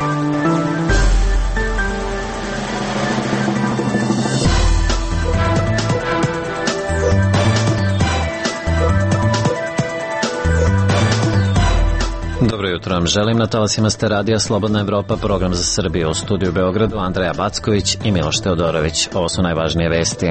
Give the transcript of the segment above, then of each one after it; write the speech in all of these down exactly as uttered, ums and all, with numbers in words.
Dobro jutro vam želim, na talasima ste radija Slobodna Evropa, program za Srbiju. U studiju u Beogradu Andreja Backović i Miloš Teodorović. Ovo su najvažnije vesti.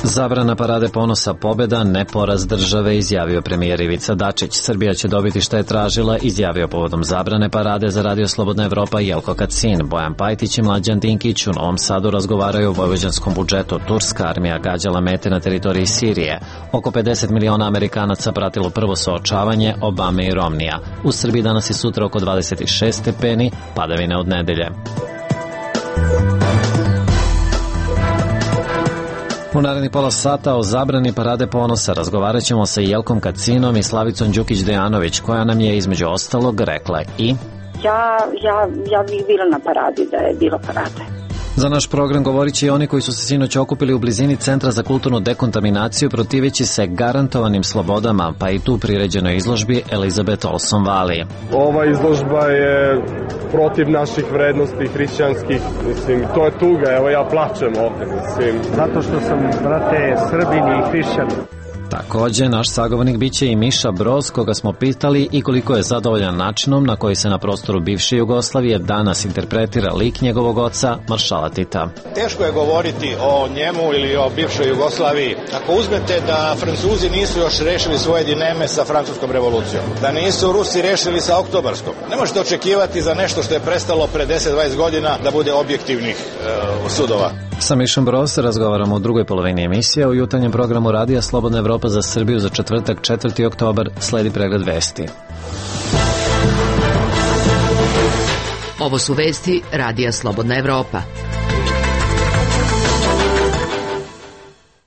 Zabrana parade ponosa pobjeda, ne poraz države, izjavio premijer Ivica Dačić. Srbija će dobiti šta je tražila, izjavio povodom zabrane parade za radio Slobodna Evropa Jelko Kacin. Bojan Pajtić i Mlađan Dinkić u Novom Sadu razgovaraju o vojvođanskom budžetu. Turska armija gađala mete na teritoriji Sirije. Oko pedeset miliona Amerikanaca pratilo prvo suočavanje Obame i Romnija. U Srbiji danas i sutra oko dvadeset šest stepeni, padavine od nedelje. U narednih pola sata o zabrani parade ponosa razgovarat ćemo sa Jelkom Kacinom i Slavicom Đukić-Dejanović, koja nam je između ostalog rekla i... Ja, ja, ja bih bila na paradi da je bilo parade. Za naš program govorit će i oni koji su se sinoć okupili u blizini Centra za kulturnu dekontaminaciju protiveći se garantovanim slobodama, pa i tu priređenoj izložbi Elizabeth Olson Valley. Ova izložba je protiv naših vrednosti hrišćanskih, mislim, to je tuga, evo ja plačem opet, mislim. Zato što sam, brate, Srbin i hrišćan. Također, naš sagovornik biće i Miša Broz, koga smo pitali i koliko je zadovoljan načinom na koji se na prostoru bivše Jugoslavije danas interpretira lik njegovog oca, maršala Tita. Teško je govoriti o njemu ili o bivšoj Jugoslaviji ako uzmete da Francuzi nisu još rešili svoje dileme sa francuskom revolucijom, da nisu Rusi rešili sa oktobarskom. Ne možete očekivati za nešto što je prestalo pre deset do dvadeset godina da bude objektivnih e, sudova. Sa Mišom Broz razgovaramo u drugoj polovini emisije. U jutarnjem programu Radija Slobodna Evropa za Srbiju za četvrtak četvrti oktobar sledi pregled vesti. Ovo su vesti Radija Slobodna Evropa.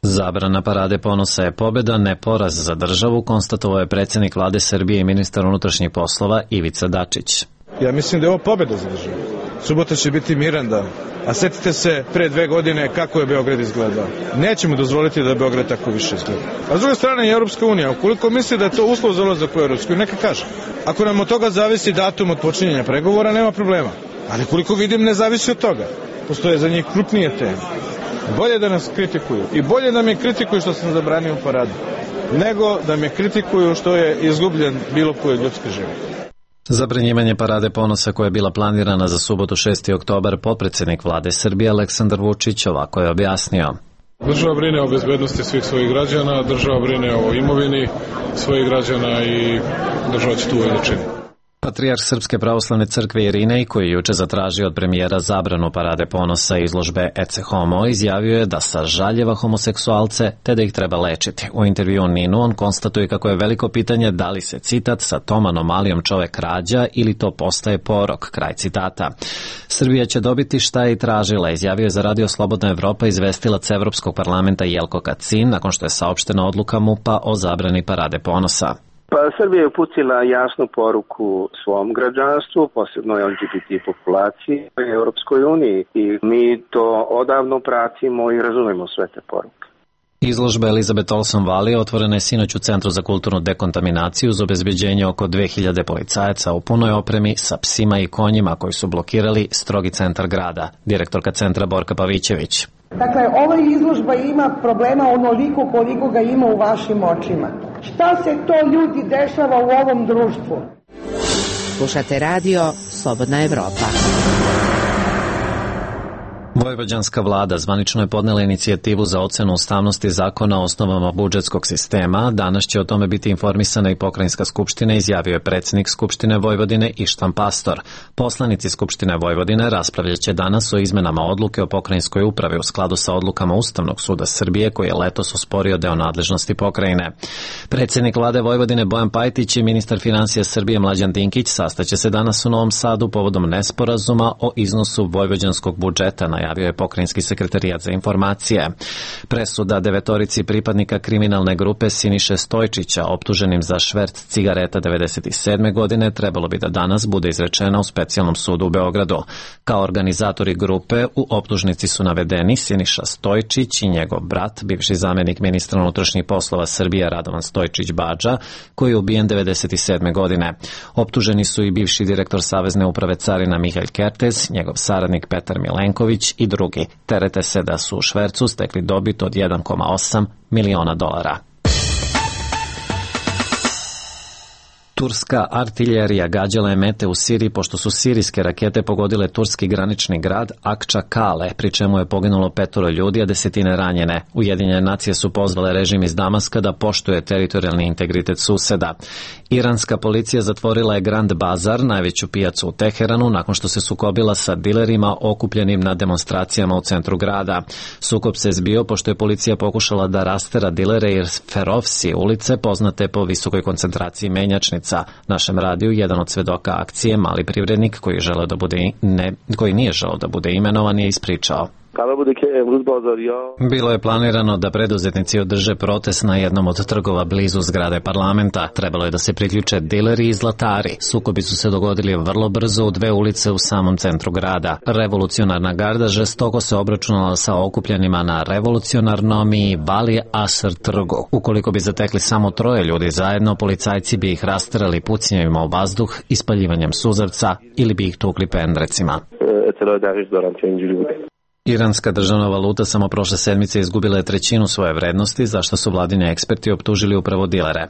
Zabrana parade ponosa je pobjeda, ne poraz za državu, konstatovao je predsjednik vlade Srbije i ministar unutrašnjih poslova Ivica Dačić. Ja mislim da je ovo pobjeda za državu. Subota će biti miran dan. A setite se pre dve godine kako je Beograd izgledao. Nećemo dozvoliti da Beograd tako više izgleda. A s druge strane i Europska unija, ukoliko misli da je to uslov za ulazak u Europsku uniju, neka kaže. Ako nam od toga zavisi datum od počinjenja pregovora, nema problema. Ali koliko vidim, ne zavisi od toga. Postoje za njih krupnije teme. Bolje da nas kritikuju. I bolje da me kritikuju što sam zabranio paradu, nego da me kritikuju što je izgubljen bilo koji ljudski život. Zabranjivanje parade ponosa koja je bila planirana za subotu šesti oktobar, potpredsjednik vlade Srbije Aleksandar Vučić ovako je objasnio. Država brine o bezbednosti svih svojih građana, država brine o imovini svojih građana i država će tu uvijek da čini. Patrijarh Srpske pravoslavne crkve Irinej, koji je juče zatražio od premijera zabranu parade ponosa i izložbe Ecce Homo, izjavio je da sažaljeva homoseksualce te da ih treba lečiti. U intervju Ninu on konstatuje kako je veliko pitanje da li se citat sa tom anomalijom čovek rađa ili to postaje porok, kraj citata. Srbija će dobiti šta je i tražila, izjavio je za Radio Slobodna Evropa izvestilac Evropskog parlamenta Jelko Kacin nakon što je saopštena odluka MUP-a o zabrani parade ponosa. Pa Srbija je uputila jasnu poruku svom građanstvu, posebno L G B T populaciji u Europskoj uniji i mi to odavno pratimo i razumemo sve te poruke. Izložba Elizabeth Olson Valley otvorena je sinoć u Centru za kulturnu dekontaminaciju uz obezbeđenje oko dve hiljade policajaca u punoj opremi sa psima i konjima koji su blokirali strogi centar grada. Direktorka centra Borka Pavićević. Dakle, ova izložba ima problema onoliko koliko ga ima u vašim očima. Šta se to ljudi dešava u ovom društvu? Slušate radio Slobodna Evropa. Vojvođanska vlada zvanično je podnela inicijativu za ocenu ustavnosti zakona o osnovama budžetskog sistema. Danas će o tome biti informisana i Pokrajinska skupština, izjavio je predsjednik Skupštine Vojvodine Ištvan Pastor. Poslanici Skupštine Vojvodine raspravljat će danas o izmenama odluke o pokrajinskoj upravi u skladu sa odlukama Ustavnog suda Srbije koji je letos osporio deo nadležnosti pokrajine. Predsjednik vlade Vojvodine Bojan Pajtić i ministar finansija Srbije Mlađan Dinkić sastaće se danas u Novom Sadu povodom nesporazuma o iznosu vojvođanskog budžeta, na najavio je pokrajinski sekretarijat za informacije. Presuda devetorici pripadnika kriminalne grupe Siniše Stojčića, optuženim za šverc cigareta devedeset sedme godine, trebalo bi da danas bude izrečena u specijalnom sudu u Beogradu. Kao organizatori grupe u optužnici su navedeni Siniša Stojčić i njegov brat, bivši zamenik ministra unutrašnjih poslova Srbije Radovan Stojčić Badža, koji je ubijen devedeset sedme godine. Optuženi su i bivši direktor Savezne uprave carina Mihail Kertez, njegov saradnik Petar Milenković i drugi. Terete se da su u švercu stekli dobit od jedan zarez osam miliona dolara. Turska artiljerija gađala je mete u Siriji pošto su sirijske rakete pogodile turski granični grad Akčakale, pri čemu je poginulo petoro ljudi, a desetine ranjene. Ujedinjene nacije su pozvale režim iz Damaska da poštuje teritorijalni integritet suseda. Iranska policija zatvorila je Grand Bazar, najveću pijacu u Teheranu, nakon što se sukobila sa dilerima okupljenim na demonstracijama u centru grada. Sukob se zbio pošto je policija pokušala da rastera dilere iz Ferovsi ulice, poznate po visokoj koncentraciji menjačnica. Našem radiju jedan od svedoka akcije, mali privrednik koji, želeo da bude ne, koji nije želeo da bude imenovan, je ispričao. Bilo je planirano da preduzetnici održe protest na jednom od trgova blizu zgrade parlamenta. Trebalo je da se priključe dileri i zlatari. Sukobi su se dogodili vrlo brzo u dve ulice u samom centru grada. Revolucionarna garda žestoko se obračunala sa okupljenima na revolucionarnom i Bali Asr trgu. Ukoliko bi zatekli samo troje ljudi zajedno, policajci bi ih rasterali pucnjevima u vazduh, ispaljivanjem suzavca ili bi ih tukli pendrecima. Iranska državna valuta samo prošle sedmice izgubila je trećinu svoje vrednosti, za što su vladini eksperti optužili upravo dilere.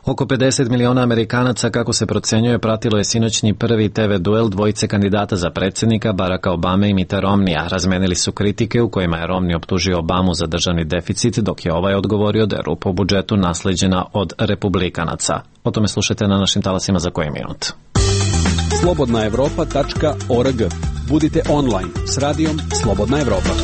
Oko pedeset miliona Amerikanaca, kako se procenjuje, pratilo je sinoćni prvi te ve duel dvojice kandidata za predsjednika, Baracka Obame i Mitta Romneya. Razmenili su kritike u kojima je Romney optužio Obamu za državni deficit, dok je ovaj odgovorio da je rupa u budžetu nasleđena od republikanaca. O tome slušajte na našim talasima za koji minut. slobodna evropa tačka org. Budite online s radijom Slobodna Evropa.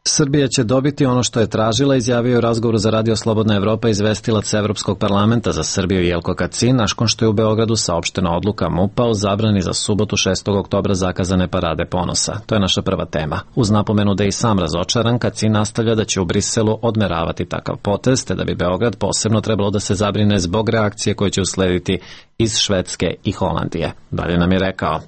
Srbija će dobiti ono što je tražila, izjavio u razgovoru za radio Slobodna Evropa izvestilac Evropskog parlamenta za Srbiju Jelko Kacin, nakon što je u Beogradu saopštena odluka MUP-a o zabrani za subotu šestog oktobra zakazane parade ponosa. To je naša prva tema. Uz napomenu da je i sam razočaran, Kacin nastavlja da će u Briselu odmeravati takav potez, te da bi Beograd posebno trebalo da se zabrine zbog reakcije koje će uslediti iz Švedske i Holandije. Dalje nam je rekao: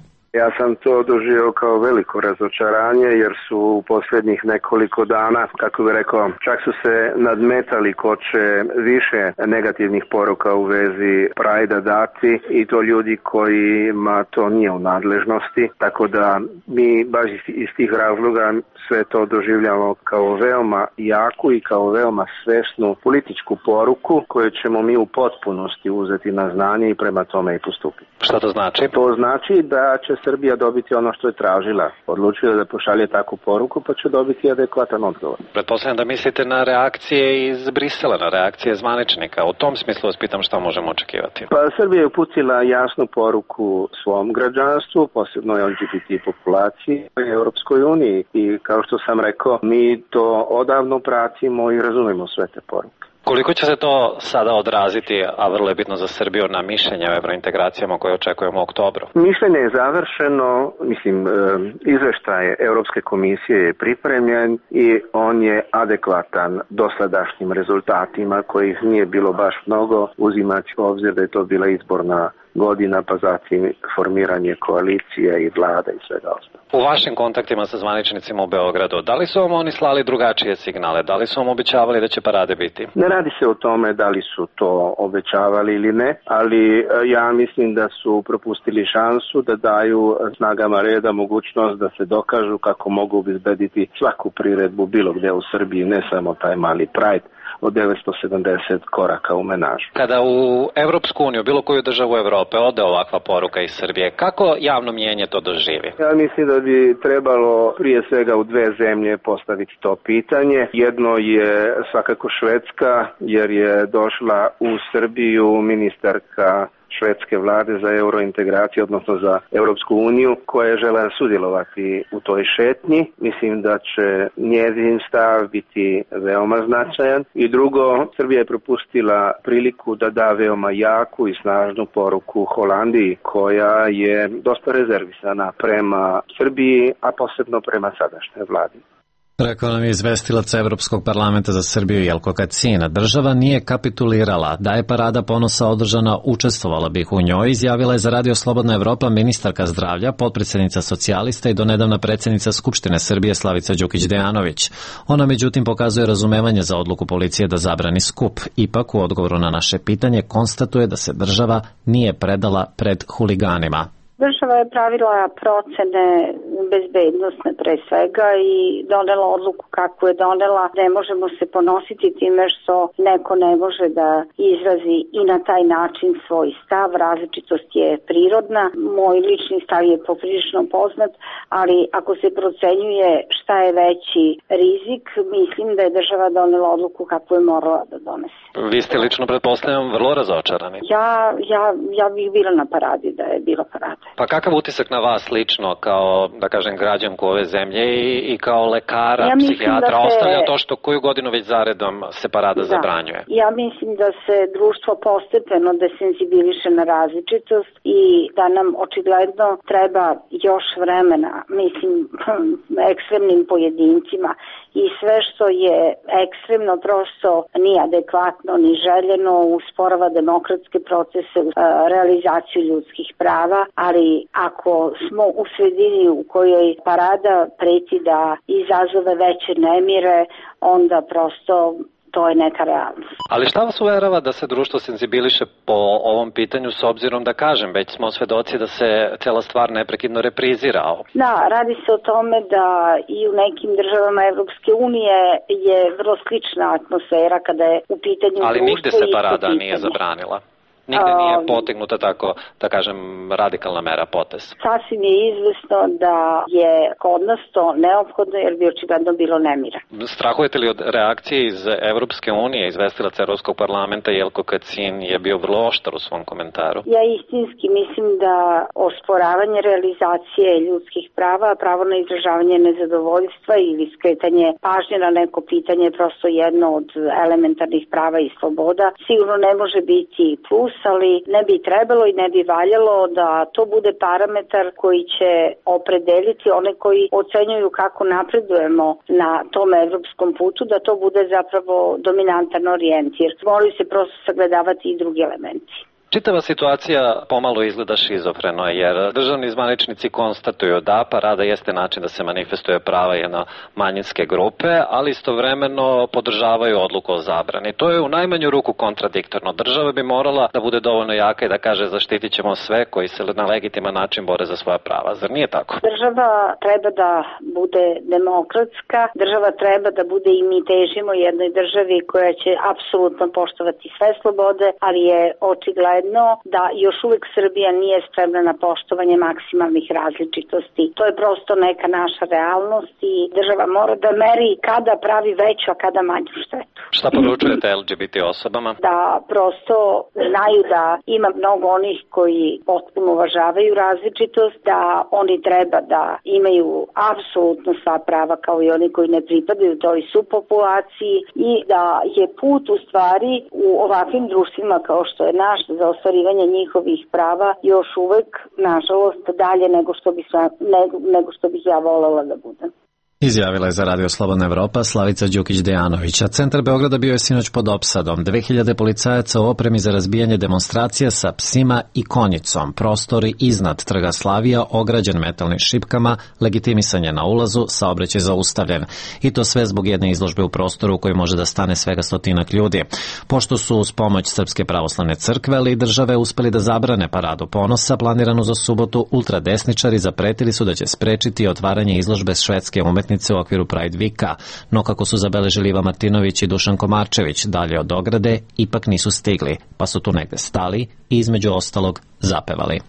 Ja sam to doživio kao veliko razočaranje jer su u posljednjih nekoliko dana, kako bih rekao, čak su se nadmetali ko će više negativnih poruka u vezi Prajda dati i to ljudi kojima to nije u nadležnosti. Tako da mi baš iz tih razloga sve to doživljamo kao veoma jaku i kao veoma svesnu političku poruku koju ćemo mi u potpunosti uzeti na znanje i prema tome i postupiti. Šta to znači? To znači da će Srbija dobiti ono što je tražila. Odlučila da pošalje takvu poruku, pa će dobiti adekvatan odgovor. Pretpostavljam da mislite na reakcije iz Brisela, na reakcije zvaničnika. U tom smislu vas pitam šta možemo očekivati. Pa Srbija je uputila jasnu poruku svom građanstvu, posebno el ge be te populaciji u Europskoj uniji. I kao što sam rekao, mi to odavno pratimo i razumemo sve te poruke. Koliko će se to sada odraziti, a vrlo je bitno za Srbiju, na mišljenje o evrointegracijama koje očekujemo u oktobru? Mišljenje je završeno, mislim, izveštaj Europske komisije je pripremljen i on je adekvatan dosadašnjim rezultatima kojih nije bilo baš mnogo, uzimajući u obzir da je to bila izborna godina, pa zatim formiranje koalicije i vlada i svega ostalo. U vašim kontaktima sa zvaničnicima u Beogradu, da li su vam oni slali drugačije signale? Da li su vam obećavali da će parade biti? Ne radi se o tome da li su to obećavali ili ne, ali ja mislim da su propustili šansu da daju snagama reda mogućnost da se dokažu kako mogu obezbediti svaku priredbu bilo gde u Srbiji, ne samo taj mali Pride od devetsto sedamdeset koraka u menažu. Kada u Evropsku uniju, bilo koju državu Evrope, ode ovakva poruka iz Srbije, kako javno mnijenje to doživi? Ja mislim da bi trebalo prije svega u dve zemlje postaviti to pitanje. Jedno je svakako Švedska, jer je došla u Srbiju ministarka švedske vlade za eurointegraciju, odnosno za Europsku uniju, koja je žela sudjelovati u toj šetnji. Mislim da će njezin stav biti veoma značajan. I drugo, Srbija je propustila priliku da da veoma jaku i snažnu poruku Holandiji, koja je dosta rezervisana prema Srbiji, a posebno prema sadašnjoj vladi. Rekao nam je izvestilac Evropskog parlamenta za Srbiju Jelko Kacin. Država nije kapitulirala. Da je parada ponosa održana, učestvovala bih u njoj, izjavila je za Radio Slobodna Evropa ministarka zdravlja, potpredsednica socijalista i donedavna predsjednica Skupštine Srbije Slavica Đukić Dejanović. Ona međutim pokazuje razumevanje za odluku policije da zabrani skup. Ipak u odgovoru na naše pitanje konstatuje da se država nije predala pred huliganima. Država je pravila procene bezbednosne pre svega i donela odluku kako je donela. Ne možemo se ponositi time što neko ne može da izrazi i na taj način svoj stav. Različitost je prirodna. Moj lični stav je poprilično poznat, ali ako se procenjuje šta je veći rizik, mislim da je država donela odluku kako je morala da donese. Vi ste lično, pretpostavljam, vrlo razočarani. Ja, ja, ja bih bila na paradi da je bila parada. Pa kakav utisak na vas lično kao, da kažem, građanku ove zemlje i, i kao lekara, ja psihijatra, se... ostavlja to što koju godinu već zaredom se parada da. zabranjuje? Ja mislim da se društvo postepeno desenzibiliše na različitost i da nam očigledno treba još vremena, mislim, ekstremnim pojedincima i sve što je ekstremno prosto nije adekvatno ni željeno, usporava demokratske procese, realizaciju ljudskih prava, ali ako smo u sredini u kojoj parada preti da izazove veće nemire, onda prosto to je neka realnost. Ali šta vas uverava da se društvo senzibiliše po ovom pitanju, s obzirom da kažem, već smo svedoci da se cela stvar neprekidno reprizira? Da, radi se o tome da i u nekim državama Evropske unije je vrlo slična atmosfera kada je u pitanju društvo. Ali nigde se parada nije zabranila? Nigde nije potegnuta tako, da kažem, radikalna mera, potez. Sasvim je izvesno da je kod nas to neophodno jer bi očigledno bilo nemira. Strahujete li od reakcije iz Evropske unije? Izvestilac Evropskog parlamenta Jelko Kacin je bio vrlo oštar u svom komentaru. Ja istinski mislim da osporavanje realizacije ljudskih prava, pravo na izražavanje nezadovoljstva ili skretanje pažnje na neko pitanje je prosto jedno od elementarnih prava i sloboda. Sigurno ne može biti plus, ali ne bi trebalo i ne bi valjalo da to bude parametar koji će opredeliti one koji ocenjuju kako napredujemo na tom evropskom putu, da to bude zapravo dominantan orijentir. Moraju se prosto sagledavati i drugi elementi. Čitava situacija pomalo izgleda šizofreno, jer državni zvaničnici konstatuju da parada jeste način da se manifestuje prava jedno manjinske grupe, ali istovremeno podržavaju odluku o zabrani. To je u najmanju ruku kontradiktorno. Država bi morala da bude dovoljno jaka i da kaže zaštitit ćemo sve koji se na legitiman način bore za svoja prava. Zar nije tako? Država treba da bude demokratska, država treba da bude i mi težimo jednoj državi koja će apsolutno poštovati sve slobode, ali je očigledno da još uvek Srbija nije spremna na poštovanje maksimalnih različitosti. To je prosto neka naša realnost i država mora da meri kada pravi veću, a kada manju štetu. Šta poručujete L G B T osobama? Da prosto znaju da ima mnogo onih koji potpuno uvažavaju različitost, da oni treba da imaju apsolutno sva prava kao i oni koji ne pripadaju toj subpopulaciji i da je put u stvari u ovakvim društvima kao što je naš za ostvarivanje njihovih prava još uvek, nažalost, dalje nego što bi, nego, nego što bih ja volela da budem. Izjavila je za Radio Slobodna Evropa Slavica Đukić Dejanović, a centar Beograda bio je sinoć pod opsadom. dve hiljade policajaca u opremi za razbijanje demonstracija sa psima i konjicom. Prostori iznad Trga Slavija ograđen metalnim šipkama, legitimisanje na ulazu, saobraćaj zaustavljen. I to sve zbog jedne izložbe u prostoru u kojoj može da stane svega stotinak ljudi. Pošto su uz pomoć Srpske pravoslavne crkve ali i države uspeli da zabrane paradu ponosa planiranu za subotu, ultradesničari zapretili su da će sprečiti otvaranje izložbe švedske umetnice u okviru Pride Weeka, no kako su zabeležili Iva Martinović i Dušan Komarčević dalje od ograde, ipak nisu stigli, pa su tu negde stali i između ostalog zapevali.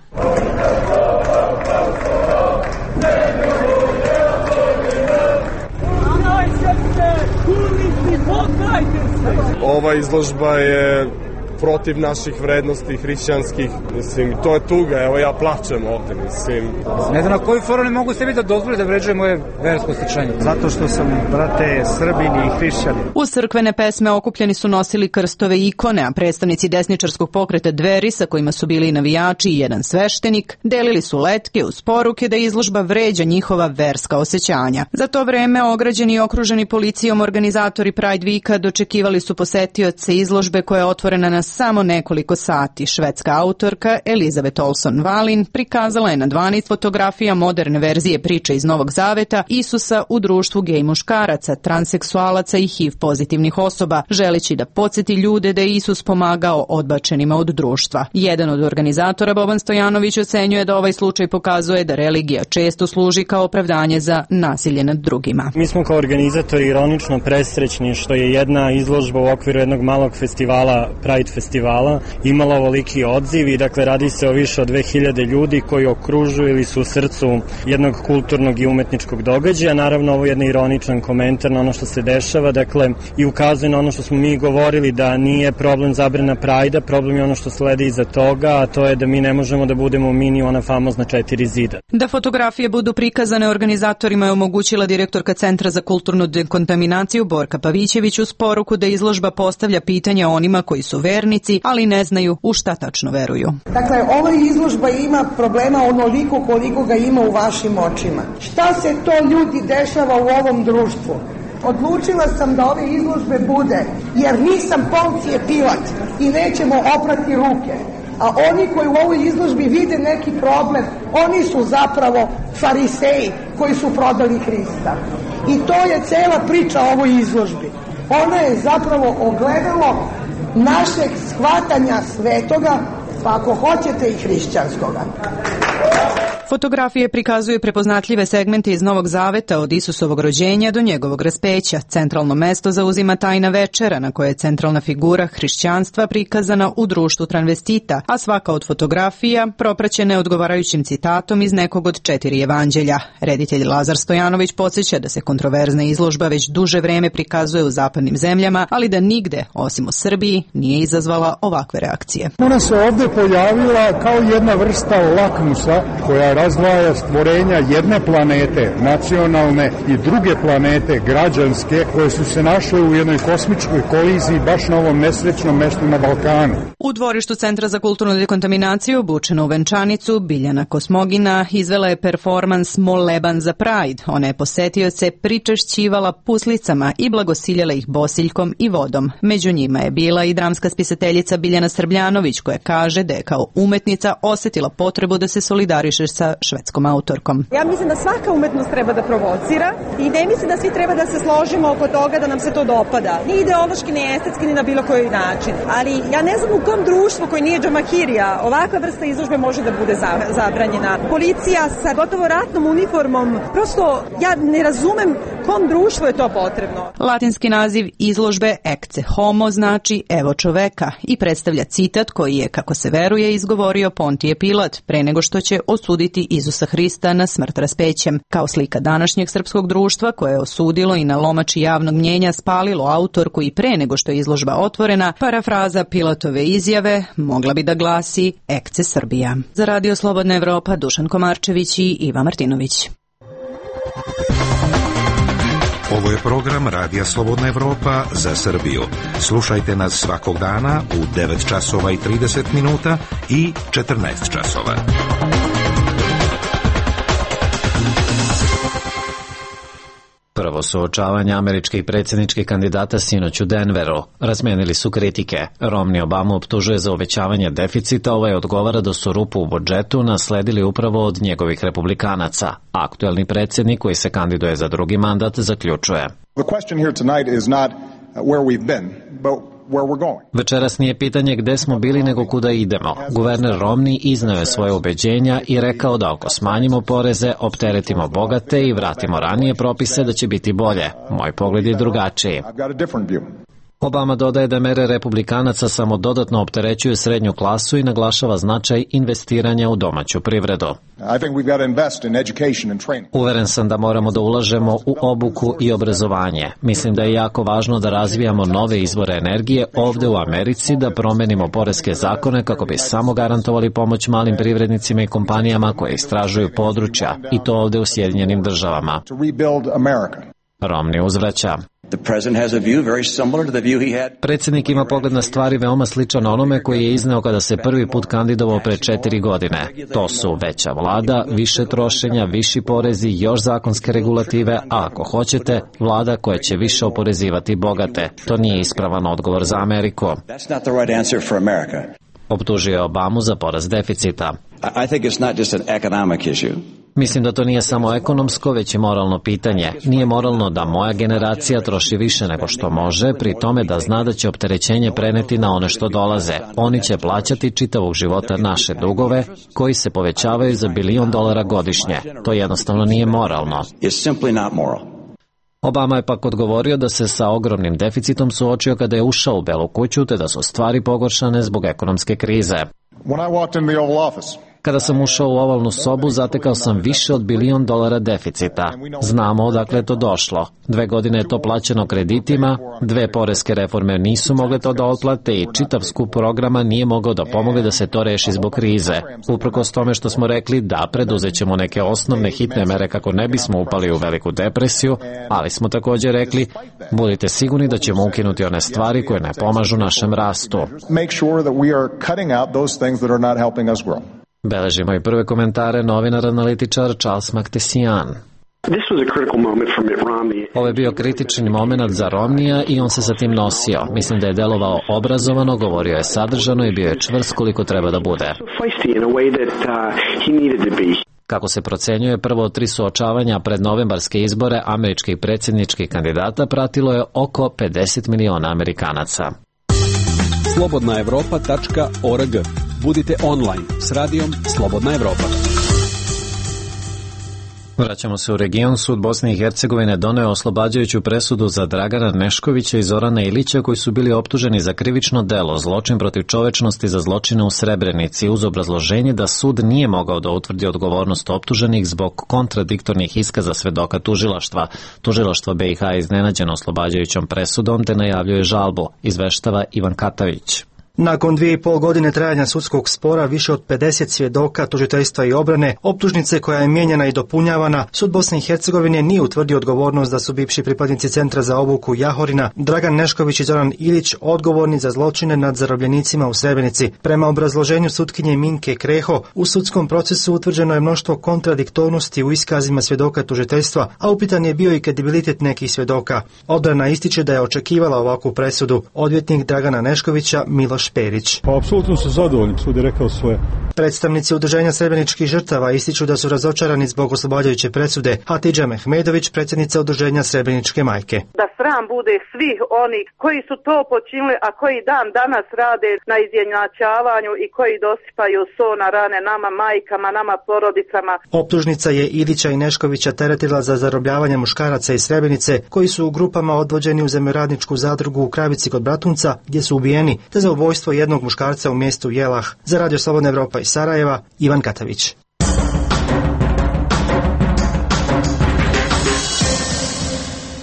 Ova izložba je protiv naših vrednosti hrišćanskih. Mislim, to je tuga, evo ja plačem ovde, mislim. Ne znam na koju foru ne mogu sebi da dozvoli da vređuje moje versko osećanje. Zato što sam, brate, Srbin i hrišćanin. Uz crkvene pesme okupljeni su nosili krstove i ikone, a predstavnici desničarskog pokreta Dveri, sa kojima su bili i navijači i jedan sveštenik, delili su letke uz poruke da izložba vređa njihova verska osećanja. Za to vreme ograđeni i okruženi policijom organizatori Pride Weeka dočekivali su posetioce izložbe koja je otvorena na samo nekoliko sati. Švedska autorka Elizabeth Olson Valin prikazala je na dvanaest fotografija moderne verzije priče iz Novog Zaveta Isusa u društvu gej muškaraca, transseksualaca i H I V pozitivnih osoba, želeći da podsjeti ljude da je Isus pomagao odbačenima od društva. Jedan od organizatora, Boban Stojanović, ocenjuje da ovaj slučaj pokazuje da religija često služi kao opravdanje za nasilje nad drugima. Mi smo kao organizatori ironično presrećni što je jedna izložba u okviru jednog malog festivala, Pride festivala, imala ovoliki odziv i dakle radi se o više od dve hiljade ljudi koji okružuju ili su u srcu jednog kulturnog i umetničkog događaja. Naravno, ovo je jedan ironičan komentar na ono što se dešava, dakle i ukazuje na ono što smo mi govorili da nije problem zabrana Prajda, problem je ono što sledi iza toga, a to je da mi ne možemo da budemo mini ona famozna četiri zida. Da fotografije budu prikazane organizatorima je omogućila direktorka Centra za kulturnu dekontaminaciju Borka Pavićević uz poruku da izložba postavlja pitanja onima koji su vernici, ali ne znaju u šta tačno veruju. Dakle, ova izložba ima problema onoliko koliko ga ima u vašim očima. Šta se to ljudi dešava u ovom društvu? Odlučila sam da ove izložbe bude, jer nisam Poncije Pilat i nećemo oprati ruke. A oni koji u ovoj izložbi vide neki problem, oni su zapravo fariseji koji su prodali Hrista. I to je cela priča o ovoj izložbi. Ona je zapravo ogledalo našeg shvatanja svetoga, pa ako hoćete i hrišćanskoga. Fotografije prikazuju prepoznatljive segmente iz Novog Zaveta od Isusovog rođenja do njegovog raspeća. Centralno mesto zauzima tajna večera na kojoj je centralna figura hrišćanstva prikazana u društvu transvestita, a svaka od fotografija propraćena je odgovarajućim citatom iz nekog od četiri evanđelja. Reditelj Lazar Stojanović podsjeća da se kontroverzna izložba već duže vreme prikazuje u zapadnim zemljama, ali da nigde, osim u Srbiji, nije izazvala ovakve reakcije. Ona se ovde pojavila kao jedna vrsta lakmusa koja razdvaja stvorenja jedne planete, nacionalne, i druge planete, građanske, koje su se našle u jednoj kosmičkoj koliziji baš na ovom nesrećnom mestu na Balkanu. U dvorištu Centra za kulturnu dekontaminaciju, obučena u venčanicu, Biljana Kosmogina izvela je performans Moleban za Pride. Ona je posetioce pričešćivala puslicama i blagosiljala ih bosiljkom i vodom. Među njima je bila i dramska spisateljica Biljana Srbljanović, koja kaže da je kao umetnica osetila potrebu da se solidariše sa švedskom autorkom. Ja mislim da svaka umetnost treba da provocira i ne mislim da svi treba da se složimo oko toga da nam se to dopada. Ni ideološki, ni estetski, ni na bilo koji način. Ali ja ne znam u kom društvu koji nije džamakirija ovakva vrsta izložbe može da bude zabranjena. Policija sa gotovo ratnom uniformom, prosto ja ne razumem kom društvu je to potrebno. Latinski naziv izložbe Ecce Homo znači evo čoveka i predstavlja citat koji je, kako se veruje, izgovorio Pontije Pilat pre nego što će osuditi Isusa Hrista na smrt raspećem. Kao slika današnjeg srpskog društva koje je osudilo i na lomači javnog mnjenja spalilo autorku i pre nego što je izložba otvorena, parafraza Pilatove izjave mogla bi da glasi Ecce Srbija. Za Radio Slobodna Evropa, Dušan Komarčević i Iva Martinović. Ovo je program Radija Slobodna Evropa za Srbiju. Slušajte nas svakog dana u devet časova i trideset minuta i četrnaest časova. Prvo suočavanje američkih predsjedničkih kandidata sinoć u Denveru. Razmenili su kritike. Romney Obamu optužuje za uvećavanje deficita, ovaj odgovara da su rupu u budžetu nasledili upravo od njegovih republikanaca. Aktuelni predsjednik koji se kandiduje za drugi mandat zaključuje. The question here tonight is not where we've been, but Večeras nije pitanje gde smo bili nego kuda idemo. Guverner Romney iznao je svoje ubeđenja i rekao da ako smanjimo poreze, opteretimo bogate i vratimo ranije propise da će biti bolje. Moj pogled je drugačiji. Obama dodaje da mere republikanaca samo dodatno opterećuju srednju klasu i naglašava značaj investiranja u domaću privredu. Uveren sam da moramo da ulažemo u obuku i obrazovanje. Mislim da je jako važno da razvijamo nove izvore energije ovde u Americi, da promenimo poreske zakone kako bi samo garantovali pomoć malim privrednicima i kompanijama koje istražuju područja, i to ovde u Sjedinjenim državama. Romney uzvraća. Predsjednik ima pogled na stvari veoma sličan onome koji je izneo kada se prvi put kandidovao pre četiri godine. To su veća vlada, više trošenja, viši porezi, još zakonske regulative, a ako hoćete, vlada koja će više oporezivati bogate. To nije ispravan odgovor za Ameriku. Optužio je Obamu za porast deficita. Mislim da to nije samo ekonomsko, već i moralno pitanje. Nije moralno da moja generacija troši više nego što može, pri tome da zna da će opterećenje preneti na one što dolaze. Oni će plaćati čitavog života naše dugove, koji se povećavaju za bilion dolara godišnje. To jednostavno nije moralno. Obama je pak odgovorio da se sa ogromnim deficitom suočio kada je ušao u Belu kuću, te da su stvari pogoršane zbog ekonomske krize. Kada sam ušao u ovalnu sobu, zatekao sam više od bilion dolara deficita. Znamo odakle je to došlo. Dve godine je to plaćeno kreditima, dve poreske reforme nisu mogle to da otplate i čitav skup programa nije mogao da pomogne da se to reši zbog krize. Uprkos tome što smo rekli da preduzećemo neke osnovne hitne mere kako ne bismo upali u veliku depresiju, ali smo također rekli, budite sigurni da ćemo ukinuti one stvari koje ne pomažu našem rastu. Beležimo i prve komentare novinar-analitičar Charles Maktesian. Ovo je bio kritični moment za Romneya i on se sa tim nosio. Mislim da je delovao obrazovano, govorio je sadržano i bio je čvrst koliko treba da bude. Kako se procenjuje, prvo od tri suočavanja pred novembarske izbore američkih predsjedničkih kandidata pratilo je oko pedeset miliona Amerikanaca. slobodna evropa tačka org. Budite online s radijom Slobodna Evropa. Vraćamo se u region. Sud Bosne i Hercegovine doneo oslobađajuću presudu za Dragana Neškovića i Zorana Ilića koji su bili optuženi za krivično delo, zločin protiv čovečnosti za zločine u Srebrenici, uz obrazloženje da sud nije mogao da utvrdi odgovornost optuženih zbog kontradiktornih iskaza svedoka tužilaštva. Tužilaštvo be i ha je iznenađeno oslobađajućom presudom te najavljuje žalbu, izveštava Ivan Katavić. Nakon dvije i pol godine trajanja sudskog spora, više od pedeset svjedoka, tužiteljstva i obrane, optužnice koja je mijenjana i dopunjavana, sud Bosne i Hercegovine nije utvrdio odgovornost da su bivši pripadnici Centra za obuku Jahorina, Dragan Nešković i Zoran Ilić, odgovorni za zločine nad zarobljenicima u Srebrenici. Prema obrazloženju sutkinje Minke Kreho, u sudskom procesu utvrđeno je mnoštvo kontradiktornosti u iskazima svjedoka tužiteljstva, a upitan je bio i kredibilitet nekih svjedoka. Odbrana ističe da je očekivala ovakvu presudu. Odvjetnik Dragana Neškovića Miloš Perić. Pa, apsolutno su zadovoljni, sud je rekao svoje. Predstavnici udruženja srebreničkih žrtava ističu da su razočarani zbog oslobađajuće presude. Hatidža Mehmedović, predsjednica udruženja Srebreničke majke. Da sram bude svih oni koji su to počinili, a koji dan danas rade na izjednačavanju i koji dosipaju so na rane nama majkama, nama porodicama. Optužnica je Ilića i Neškovića teretila za zarobljavanje muškaraca iz Srebrenice koji su u grupama odvođeni u zemljoradničku zadrugu u Kravici kod Bratunca gdje su ubijeni, te za ubojstvo jednog muškarca u mjestu Jelah. Za Radio Slobodna Evropa iz Sarajeva, Ivan Katavić.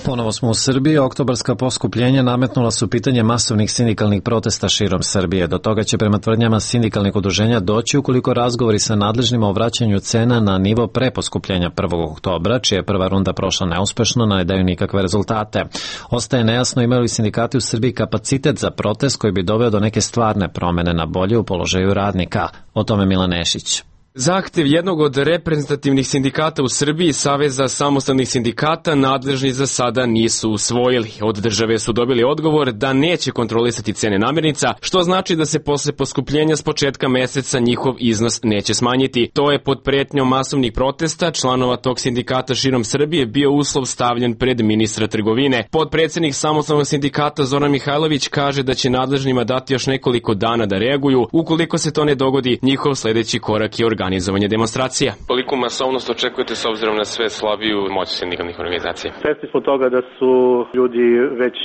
Ponovo smo u Srbiji. Oktobarska poskupljenja nametnula su pitanje masovnih sindikalnih protesta širom Srbije. Do toga će prema tvrdnjama sindikalnih udruženja doći ukoliko razgovori sa nadležnima o vraćanju cena na nivo pre poskupljenja prvog oktobra, čija je prva runda prošla neuspešno, ne daju nikakve rezultate. Ostaje nejasno imaju li sindikati u Srbiji kapacitet za protest koji bi doveo do neke stvarne promene na bolje u položaju radnika. O tome Milan Nešić. Zahtev jednog od reprezentativnih sindikata u Srbiji, Saveza samostalnih sindikata, nadležni za sada nisu usvojili. Od države su dobili odgovor da neće kontrolisati cene namirnica, što znači da se posle poskupljenja s početka meseca njihov iznos neće smanjiti. To je pod pretnjom masovnih protesta članova tog sindikata širom Srbije bio uslov stavljen pred ministra trgovine. Podpredsednik samostalnog sindikata Zoran Mihajlović kaže da će nadležnima dati još nekoliko dana da reaguju. Ukoliko se to ne dogodi, njihov sledeći korak je organizacija organizovanje demonstracija. Koliko masovnost očekujete s obzirom na sve slabiju moć sindikalnih organizacija? Svesni smo toga da su ljudi već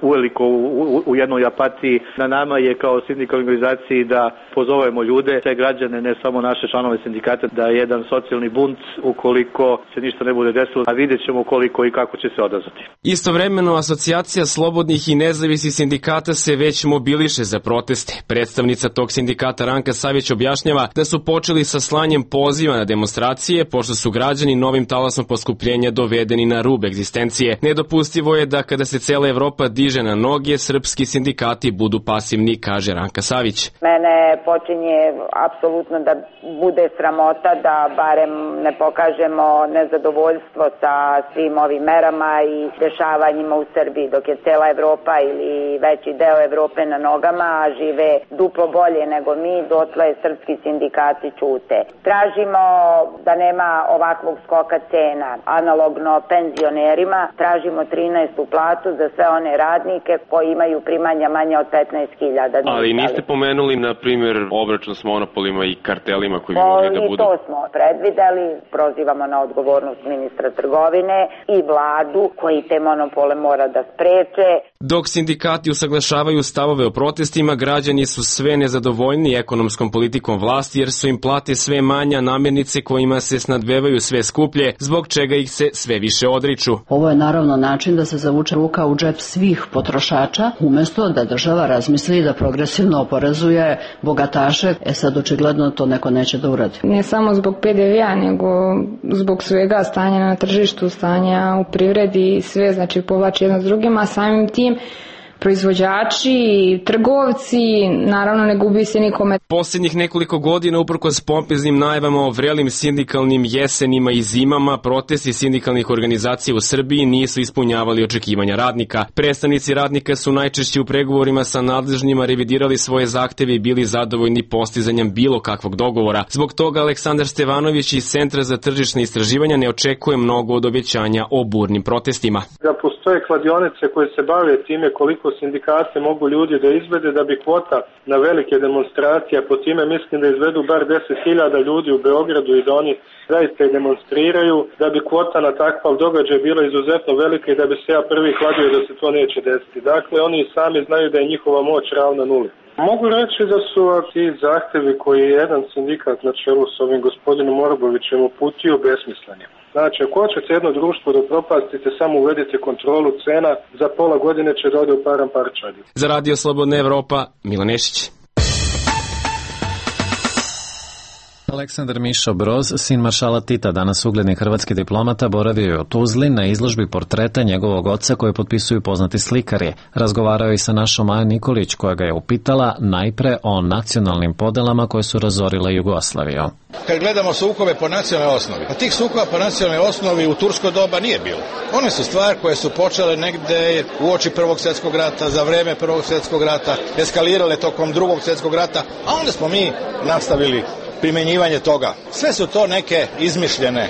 uveliko u, u jednoj apatiji. Na nama je kao sindikalnoj organizaciji da pozovemo ljude, sve građane, ne samo naše članove sindikata, da je jedan socijalni bunt ukoliko se ništa ne bude desilo, a vidjet ćemo koliko i kako će se odazvati. Istovremeno, Asocijacija slobodnih i nezavisnih sindikata se već mobiliše za proteste. Predstavnica tog sindikata Ranka Savić objašnjava da su počeli sa slanjem poziva na demonstracije, pošto su građani novim talasom poskupljenja dovedeni na rub egzistencije. Nedopustivo je da kada se cela Evropa diže na noge, srpski sindikati budu pasivni, kaže Ranka Savić. Mene počinje apsolutno da bude sramota da barem ne pokažemo nezadovoljstvo sa svim ovim merama i dešavanjima u Srbiji, dok je cela Evropa ili veći deo Evrope na nogama, a žive duplo bolje nego mi, dotle srpski sindikati ćute. Tražimo da nema ovakvog skoka cena, analogno penzionerima, tražimo trinaestu platu za sve one radnike koji imaju primanja manje od petnaest hiljada. Ali niste pomenuli, na primjer, obračun s monopolima i kartelima koji bi mogli da budu? I to smo predvideli, prozivamo na odgovornost ministra trgovine i vladu koji te monopole mora da spreče. Dok sindikati usaglašavaju stavove o protestima, građani su sve nezadovoljni ekonomskom politikom vlasti jer su im plate sve manja, namirnice kojima se snadbevaju sve skuplje, zbog čega ih se sve više odriču. Ovo je naravno način da se zavuče ruka u džep svih potrošača, umesto da država razmisli da progresivno oporezuje bogataše. E sad očigledno to neko neće da uradi. Ne samo zbog pe de ve a, nego zbog svega stanja na tržištu, stanja u privredi, sve znači povlači jedno s drugim, a samim tim proizvođači, trgovci, naravno ne gubi se nikome. Posljednjih nekoliko godina, uprkos pompeznim najavama o vrelim sindikalnim jesenima i zimama, protesti sindikalnih organizacija u Srbiji nisu ispunjavali očekivanja radnika. Predstavnici radnika su najčešće u pregovorima sa nadležnjima revidirali svoje zahteve i bili zadovoljni postizanjem bilo kakvog dogovora. Zbog toga Aleksandar Stevanović iz Centra za tržišne istraživanja ne očekuje mnogo od obećanja o burnim protestima. Da postoje kladionice koje se bave time koliko sindikate mogu ljudi da izvede da bi kvota na velike demonstracije, po time mislim da izvedu bar deset hiljada ljudi u Beogradu i da oni zaista i demonstriraju, da bi kvota na takav događaj bila izuzetno velika i da bi se ja prvi kladio da se to neće desiti. Dakle, oni sami znaju da je njihova moć ravna nuli. Mogu reći da su ti zahtevi koji je jedan sindikat na čelu s ovim gospodinom Orbovićem uputio besmisleni. Znači, ako hoćete jedno društvo da propastite, samo uvedite kontrolu cena, za pola godine će da ode u param parčadi. Za Radio Slobodna Evropa, Milan Nešić. Aleksandar Mišo Broz, sin maršala Tita, danas ugledni hrvatski diplomata, boravio je u Tuzli na izložbi portreta njegovog oca koje potpisuju poznati slikari. Razgovarao je i sa našom Maja Nikolić, koja ga je upitala najpre o nacionalnim podelama koje su razorile Jugoslaviju. Kad gledamo sukobe po nacionalnoj osnovi, a tih sukoba po nacionalnoj osnovi u tursko doba nije bilo. One su stvari koje su počele negde u oči Prvog svjetskog rata, za vreme Prvog svjetskog rata, eskalirale tokom Drugog svjetskog rata, a onda smo mi nastavili primjenjivanje toga. Sve su to neke izmišljene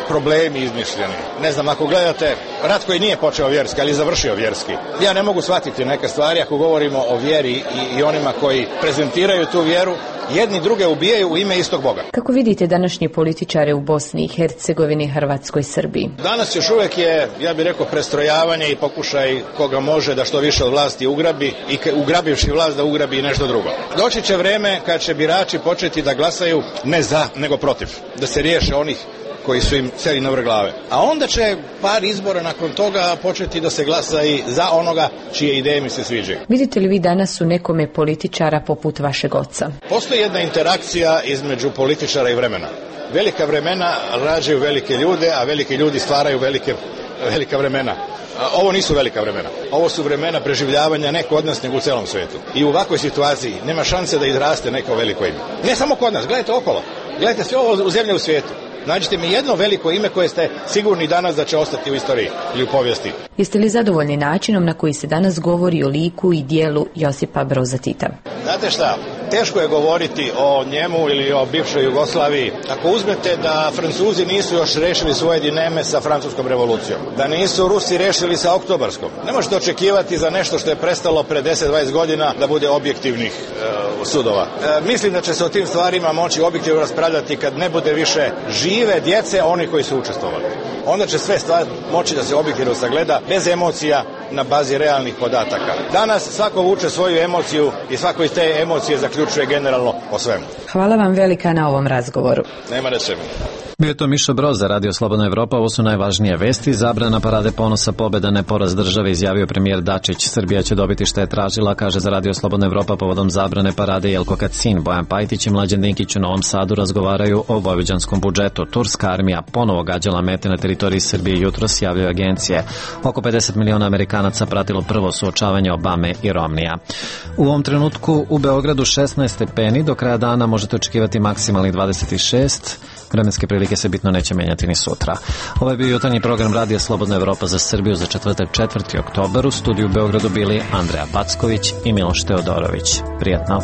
problemi izmišljeni. Ne znam, ako gledate rat koji nije počeo vjerski, ali završio vjerski. Ja ne mogu shvatiti neke stvari ako govorimo o vjeri i, i onima koji prezentiraju tu vjeru, jedni druge ubijaju u ime istog Boga. Kako vidite današnje političare u Bosni i Hercegovini, Hrvatskoj, Srbiji? Danas još uvijek je, ja bih rekao, prestrojavanje i pokušaj koga može da što više od vlasti ugrabi i ugrabivši vlast da ugrabi i nešto drugo. Doći će vreme kad će birači početi da glasaju ne za, nego protiv. Da se riješe onih koji su im seli na vrh glave. A onda će par izbora nakon toga početi da se glasa i za onoga čije ideje mi se sviđaju. Vidite li vi danas u nekome političara poput vašeg oca? Postoji jedna interakcija između političara i vremena. Velika vremena rađaju velike ljude, a veliki ljudi stvaraju velike, velika vremena. Ovo nisu velika vremena. Ovo su vremena preživljavanja ne kod nas, nego u celom svijetu. I u ovakvoj situaciji nema šanse da izraste neko veliko ime. Ne samo kod nas, gledajte okolo. Gledajte sve ovo u zemlje u svijetu. Nađite mi jedno veliko ime koje ste sigurni danas da će ostati u istoriji ili u povijesti. Jeste li zadovoljni načinom na koji se danas govori o liku i dijelu Josipa Broza Tita? Znate šta, teško je govoriti o njemu ili o bivšoj Jugoslaviji ako uzmete da Francuzi nisu još rešili svoje dileme sa francuskom revolucijom, da nisu Rusi rešili sa oktobarskom. Ne možete očekivati za nešto što je prestalo pre deset dvadeset godina da bude objektivnih e, sudova. E, mislim da će se o tim stvarima moći objektivno raspravljati kad ne bude više žive djece oni koji su učestvovali. Onda će sve stvari moći da se objektivno sagleda bez emocija na bazi realnih podataka. Danas svako vuče svoju emociju i svako iz te emocije zaključuje generalno o svemu. Hvala vam velika na ovom razgovoru. Nema da se mi. Bio je to Miša Broz za Radio Slobodna Evropa. Ovo su najvažnije vesti. Zabrana parade ponosa, pobeda, ne poraz države, izjavio premijer Dačić. Srbija će dobiti što je tražila, kaže za Radio Slobodna Evropa povodom zabrane parade Jelko Kacin. Bojan Pajtić i Mlađan Dinkić u Novom Sadu razgovaraju o vojvođanskom budžetu. Turska armija ponovo gađala mete na teritoriji Srbije jutros, javljaju agencije. Oko pedeset miliona Amerikanaca pratilo prvo suočavanje Obame i Romnija. U ovom trenutku u Beogradu šesnaest stepeni, do kraja dana možete očekivati maksimalnih dvadeset šest. Vremenske prilike se bitno neće menjati ni sutra. Ovo je bio jutarnji program Radija Slobodna Evropa za Srbiju za četvrtak četvrti oktobar. U studiju u Beogradu bili Andreja Packović i Miloš Teodorović. Prijetno.